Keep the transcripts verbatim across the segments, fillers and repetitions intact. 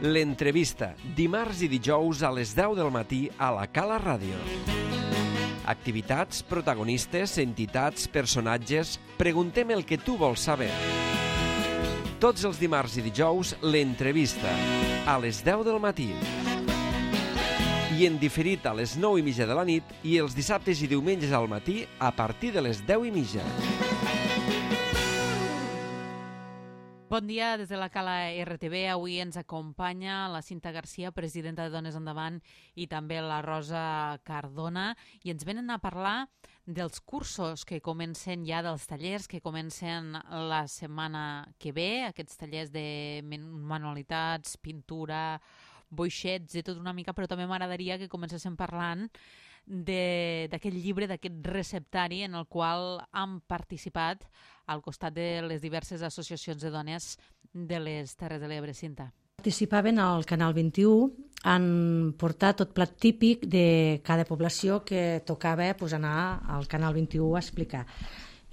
L'entrevista, dimarts i dijous a les deu del matí a la Cala Ràdio. Activitats, protagonistes, entitats, personatges... Preguntem el que tu vols saber. Tots els dimarts i dijous, l'entrevista, a les deu del matí. I en diferit a les nou i mitja de la nit i els dissabtes i diumenges al matí a partir de les deu i mitja. Bon dia des de la Cala R T V. Avui ens acompanya la Cinta Garcia, presidenta de Dones Endavant, i també la Rosa Cardona, i ens venen a parlar dels cursos que comencen ja, dels tallers que comencen la setmana que ve, aquests tallers de manualitats, pintura, boixets i tot una mica, però també m'agradaria que comencéssim parlant d'aquest llibre, d'aquest receptari en el qual han participat al costat de les diverses associacions de dones de les Terres de l'Ebre. Cinta. Participaven al Canal vint-i-u, han portat tot plat típic de cada població que tocava pues, anar al Canal vint-i-u a explicar.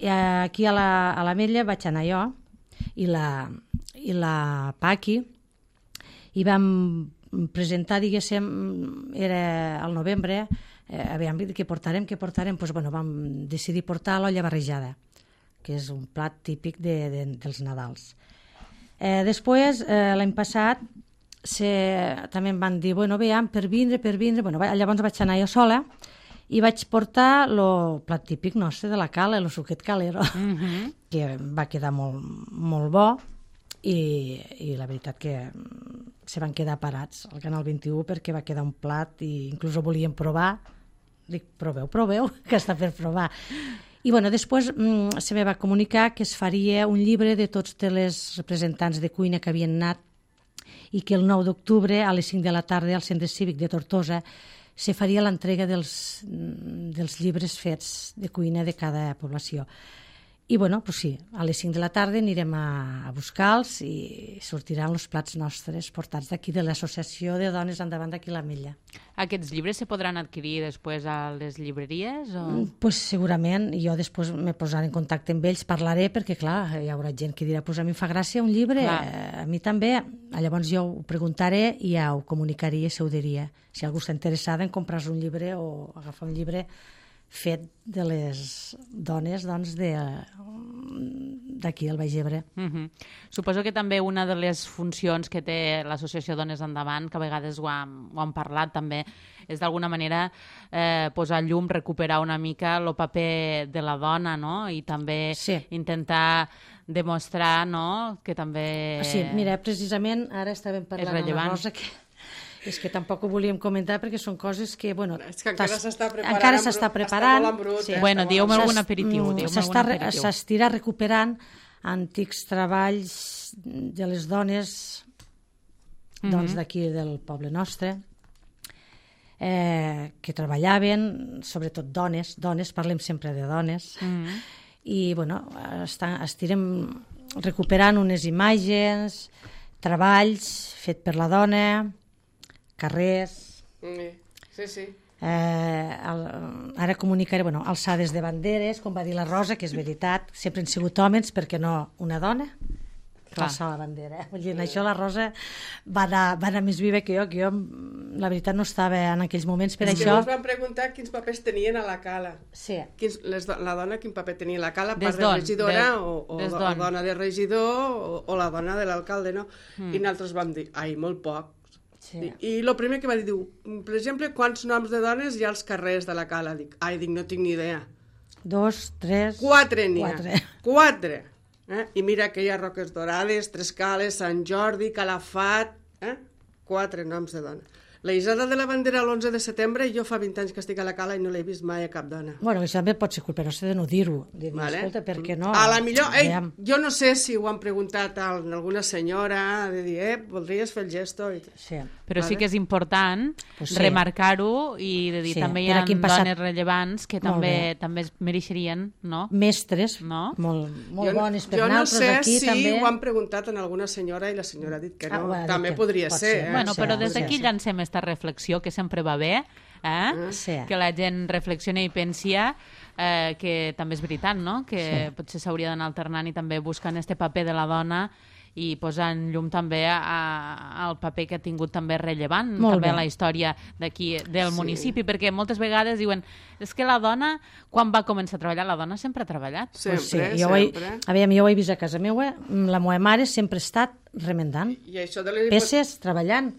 I aquí a la, a l'Ametlla vaig anar jo i la, i la Paqui i vam presentar, diguéssim, era al novembre, eh, havíem dit que portarem, que portarem, doncs, bueno, vam decidir portar l'olla barrejada, que és un plat típic de, de, dels Nadals. Eh, després, eh, l'any passat, se, també em van dir, bueno, veiem, per vindre, per vindre, bueno, llavors vaig anar jo sola i vaig portar el plat típic nostre de la cala, el suquet calero, mm-hmm. que va quedar molt, molt bo i, i la veritat que se van quedar parats al Canal vint-i-u perquè va quedar un plat i inclús ho volíem provar. Dic, proveu, proveu, que està per provar. I bueno, després mm, se me va comunicar que es faria un llibre de tots els representants de cuina que havien anat i que el nou d'octubre a les cinc de la tarda al Centre Cívic de Tortosa se faria l'entrega dels, dels llibres fets de cuina de cada població. I bueno, pues sí, a les cinc de la tarda anirem a, a buscar-los i sortiran els plats nostres portats d'aquí de l'Associació de Dones Endavant d'aquí l'Ametlla. Aquests llibres se podran adquirir després a les llibreries? O? Pues segurament, jo després me posaré en contacte amb ells, parlaré, perquè clar, hi haurà gent que dirà, pues a mi em fa gràcia un llibre, eh, a mi també. Llavors jo ho preguntaré i ja ho comunicaria, se ho diria. Si algú està interessada en comprar un llibre o agafar un llibre fet de les dones doncs, de, d'aquí al Baix Ebre. Mm-hmm. Suposo que també una de les funcions que té l'Associació Dones Endavant, que a vegades ho hem, ho hem parlat també, és d'alguna manera eh, posar llum, recuperar una mica el paper de la dona, no? I també sí. intentar demostrar, no?, que també sí, mira, precisament ara estàvem parlant amb la Rosa que és que tampoc ho volíem comentar perquè són coses que, bueno... És que encara s'està preparant. Encara s'està preparant. Està molt brut. Sí. Bueno, dieu-me algun aperitiu. S'estirà recuperant antics treballs de les dones doncs, mm-hmm. d'aquí del poble nostre, eh, que treballaven, sobretot dones, dones, parlem sempre de dones, mm-hmm. i, bueno, està, estirem recuperant unes imatges, treballs fet per la dona, carrers... Sí, sí. Eh, el, ara comunicaré, bueno, alçades de banderes, com va dir la Rosa, que és veritat, sempre han sigut homes, perquè no una dona? Clar. Alçar la bandera. Eh? Vull dir, en això la Rosa va anar, va anar més viva que jo, que jo, la veritat, no estava en aquells moments per és això. És que ens van preguntar quins papers tenien a la cala. Sí. Quins, les, la dona quin paper tenia a la cala, des part de regidora des, o, o, des o dona de regidor o, o la dona de l'alcalde, no? Mm. I nosaltres vam dir, ai, molt poc. Sí. I el primer que va dir, diu, per exemple, quants noms de dones hi ha als carrers de la cala? Dic, ai, dic, no tinc ni idea. Dos, tres... Quatre n'hi ha. Quatre. Quatre. Eh? I mira que hi ha Roques Dorades, Tres Cales, Sant Jordi, Calafat... Eh? Quatre noms de dona. La Isada de la Bandera l'onze de setembre, jo fa vint anys que estic a la cala i no l'he vist mai a cap dona. Bueno, això també pot ser culpa nostra de no dir-ho. Dir vale. Escolta, per què no? A la millor, ei, jo no sé si ho han preguntat a alguna senyora, de dir, eh, voldries fer el gesto? I... Sí. Però vale. sí que és important pues sí. remarcar-ho i de dir, sí. també hi ha passat... dones rellevants que també també es mereixerien, no? Mestres, no? molt, molt jo, bones per jo nosaltres no aquí si també. Jo no sé si ho han preguntat a alguna senyora i la senyora ha dit que no. Ah, bueno, també que podria pot ser. ser. Eh? Bueno, però des d'aquí ser. llancem aquesta reflexió que sempre va bé eh? Sí. Que la gent reflexioni i pensi eh, que també és veritat, no? Que Sí. potser s'hauria d'anar alternant i també buscant este paper de la dona i posant llum també a, a, al paper que ha tingut també rellevant Molt també bé. a la història d'aquí del Sí. municipi, perquè moltes vegades diuen és que la dona, quan va començar a treballar, la dona sempre ha treballat. Sempre, Pues sí, jo ho he, sempre. a veure, jo ho he vist a casa meva, la meva mare sempre ha estat remendant I això de les... peces, treballant.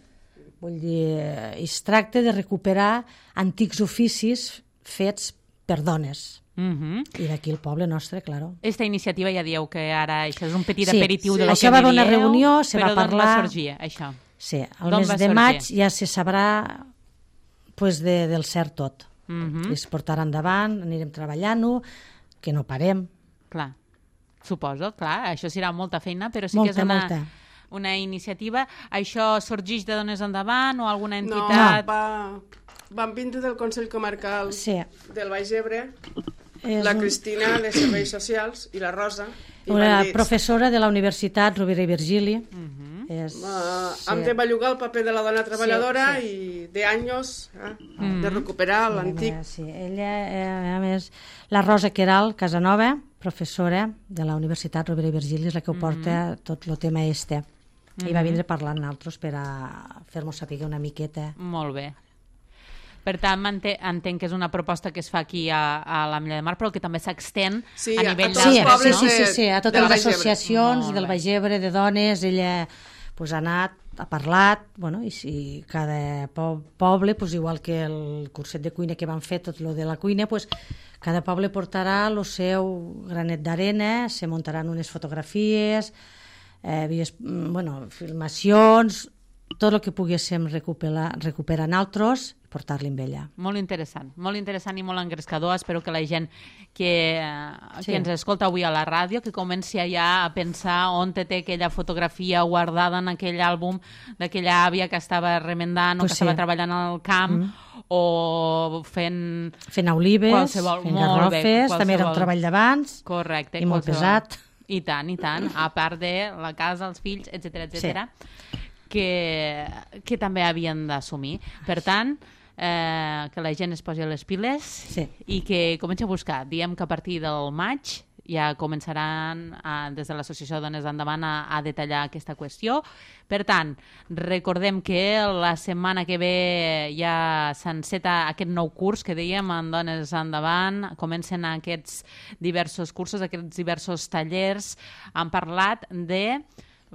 Vull dir, eh, es tracta de recuperar antics oficis fets per dones. Uh-huh. I d'aquí el poble nostre, claro. Esta iniciativa ja dieu que ara això és un petit Sí, aperitiu sí. de lo Això que va me haver una dieu, reunió, se va però d'on parlar- va sorgir, això? Sí, el D'on mes va de sorgir? maig ja se sabrà pues, de, del cert tot. Uh -huh. Es portarà endavant, anirem treballant-ho, que no parem. Clar, suposo, clar, això serà molta feina, però sí Molta, que és una, molta. una iniciativa. Això sorgeix de Dones Endavant o alguna No, entitat? va... van vindre del Consell Comarcal Sí. del Baix Ebre, És la un- Cristina de Serveis Socials i la Rosa. I una van dir, professora de la Universitat Rovira i Virgili. Uh-huh. és, Uh, sí. hem de bellugar el paper de la dona treballadora sí. i de anys eh, Mm. de recuperar Sí, l'antic. Sí, ella, eh, a més, la Rosa Queral Casanova, professora de la Universitat Rovira i Virgili, és la que ho porta tot el tema este. I va vindre parlant nosaltres per a fer-nos saber una miqueta. Molt bé. Per tant, m'ente- entenc que és una proposta que es fa aquí a, a l'Ametlla de Mar, però que també s'extén Sí, a a nivell tots Sí, els d'altres, pobles sí, no? sí, de- sí, sí, a totes del les Baix Ebre. associacions Molt del bé. Baix Ebre, de dones, ella pues, ha anat, ha parlat, bueno, i si cada po poble, pues, igual que el curset de cuina que van fer, tot lo de la cuina, pues, cada poble portarà el seu granet d'arena, se muntaran unes fotografies, eh, vies, mm, bueno, filmacions, tot el que poguéssim recuperar, recuperar nosaltres i portar-li amb ella. Molt interessant, molt interessant i molt engrescador. Espero que la gent que, eh, Sí. que ens escolta avui a la ràdio, que comenci ja a pensar on té aquella fotografia guardada en aquell àlbum d'aquella àvia que estava remendant Pues o que sí. estava treballant al camp mm. o fent... Fent olives, Qualsevol- fent molt bé, garrofes, també era un qualsevol. treball d'abans. Correcte. I molt qualsevol. pesat. I tant, i tant. A part de la casa, els fills, etcètera, etcètera, que, que també havien d'assumir. Per tant, eh, que la gent es posi a les piles Sí. i que comenci a buscar. Diem que a partir del maig ja començaran a, des de l'Associació Dones Endavant a, a detallar aquesta qüestió. Per tant, recordem que la setmana que ve ja s'enceta aquest nou curs que dèiem en Dones Endavant, comencen aquests diversos cursos, aquests diversos tallers. Han parlat de,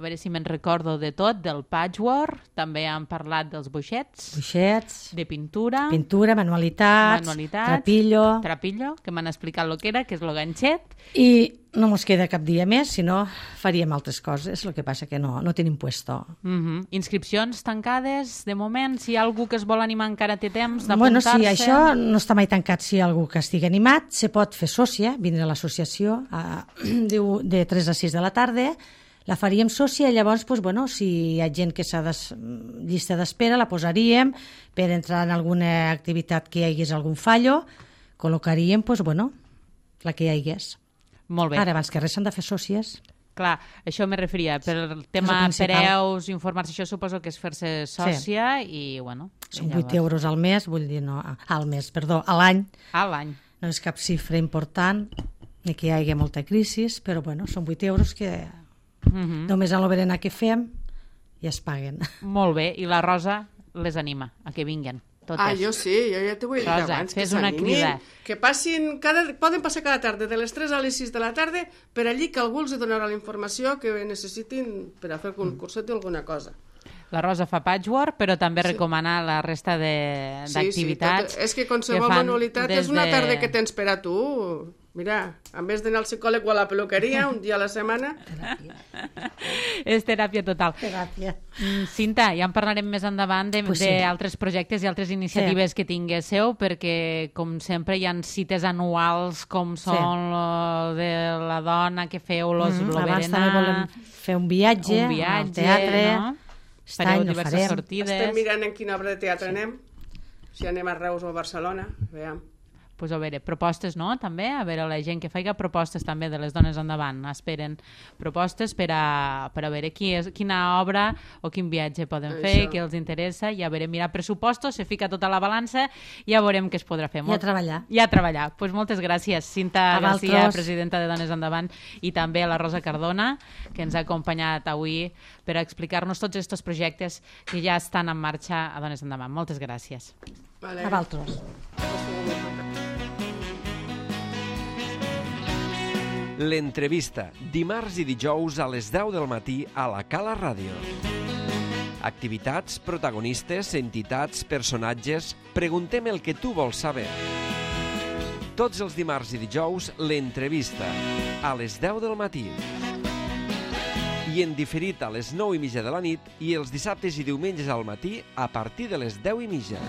a veure si me'n recordo de tot, del patchwork, també han parlat dels boixets, Buixets, de pintura, pintura, manualitats, Manualitats. trapillo... trapillo, que m'han explicat el que era, que és el ganxet. I no mos queda cap dia més, si no faríem altres coses, el que passa que no, no tenim puesto. Uh-huh. Inscripcions tancades, de moment, si hi ha algú que es vol animar encara té temps Bueno, d'apuntar-se. sí, això no està mai tancat si hi ha algú que estigui animat, se pot fer sòcia, vindre a l'associació a, de, de tres a sis de la tarda, la faríem sòcia i llavors, pues, bueno, si hi ha gent que s'ha de llista d'espera, la posaríem per entrar en alguna activitat que hi hagués algun fallo, col·locaríem, pues, bueno, la que hi hagués. Molt bé. Ara, abans que res, s'han de fer sòcies. Clar, això me referia. Per el tema principal. preus, informar-se, això suposo que és fer-se sòcia i, bueno... Són i vuit euros al mes, vull dir, no, al mes, perdó, a l'any. A l'any. No és cap xifra important, ni que hi hagi molta crisi, però bueno, són vuit euros que Uh -huh. només a lo berenar que fem ja es paguen. Molt bé. I la Rosa les anima a que vinguen. Totes. Ah, jo sí, jo ja t'ho he dit Rosa, abans. fes que una s'animin, crida. Que passin, cada, poden passar cada tarda de les tres a les sis de la tarda per allí que algú els donarà la informació que necessitin per a fer un curset o alguna cosa. La Rosa fa patchwork, però també sí. recomana la resta de- d'activitats. Sí, sí, és que qualsevol fan manualitat des és una de- tarda que tens per a tu. Mira, en vez d'anar al psicòleg o a la peluqueria un dia a la setmana... És teràpia total. Gràcies. Mm, Cinta, ja en parlarem més endavant Pues sí. d'altres projectes i altres iniciatives sí. que tinguéssiu, perquè, com sempre, hi ha cites anuals com són sí. lo de la dona que feu los Mm, lo abans berenar, també volem fer un viatge, un viatge al teatre. no? Aquest Fareu any no diverses farem. Estem sortides. mirant en quina obra de teatre sí. anem, si anem a Reus o a Barcelona, veiem. pues, a veure, propostes, no?, també, a veure, la gent que faiga propostes també de les dones endavant, esperen propostes per a, per a veure qui és, quina obra o quin viatge poden fer, Això. què els interessa, i a veure, mirar pressupostos, se fica tota la balança i ja veurem què es podrà fer. I a treballar. I a treballar. Pues moltes gràcies, Cinta A Garcia, vosaltres. presidenta de Dones Endavant, i també a la Rosa Cardona, que ens ha acompanyat avui per a explicar-nos tots aquests projectes que ja estan en marxa a Dones Endavant. Moltes gràcies. Vale. A vosaltres. L'entrevista, dimarts i dijous a les deu del matí a la Cala Ràdio. Activitats, protagonistes, entitats, personatges... Preguntem el que tu vols saber. Tots els dimarts i dijous, l'entrevista, a les deu del matí. I en diferit a les nou i mitja de la nit i els dissabtes i diumenges al matí a partir de les deu i mitja.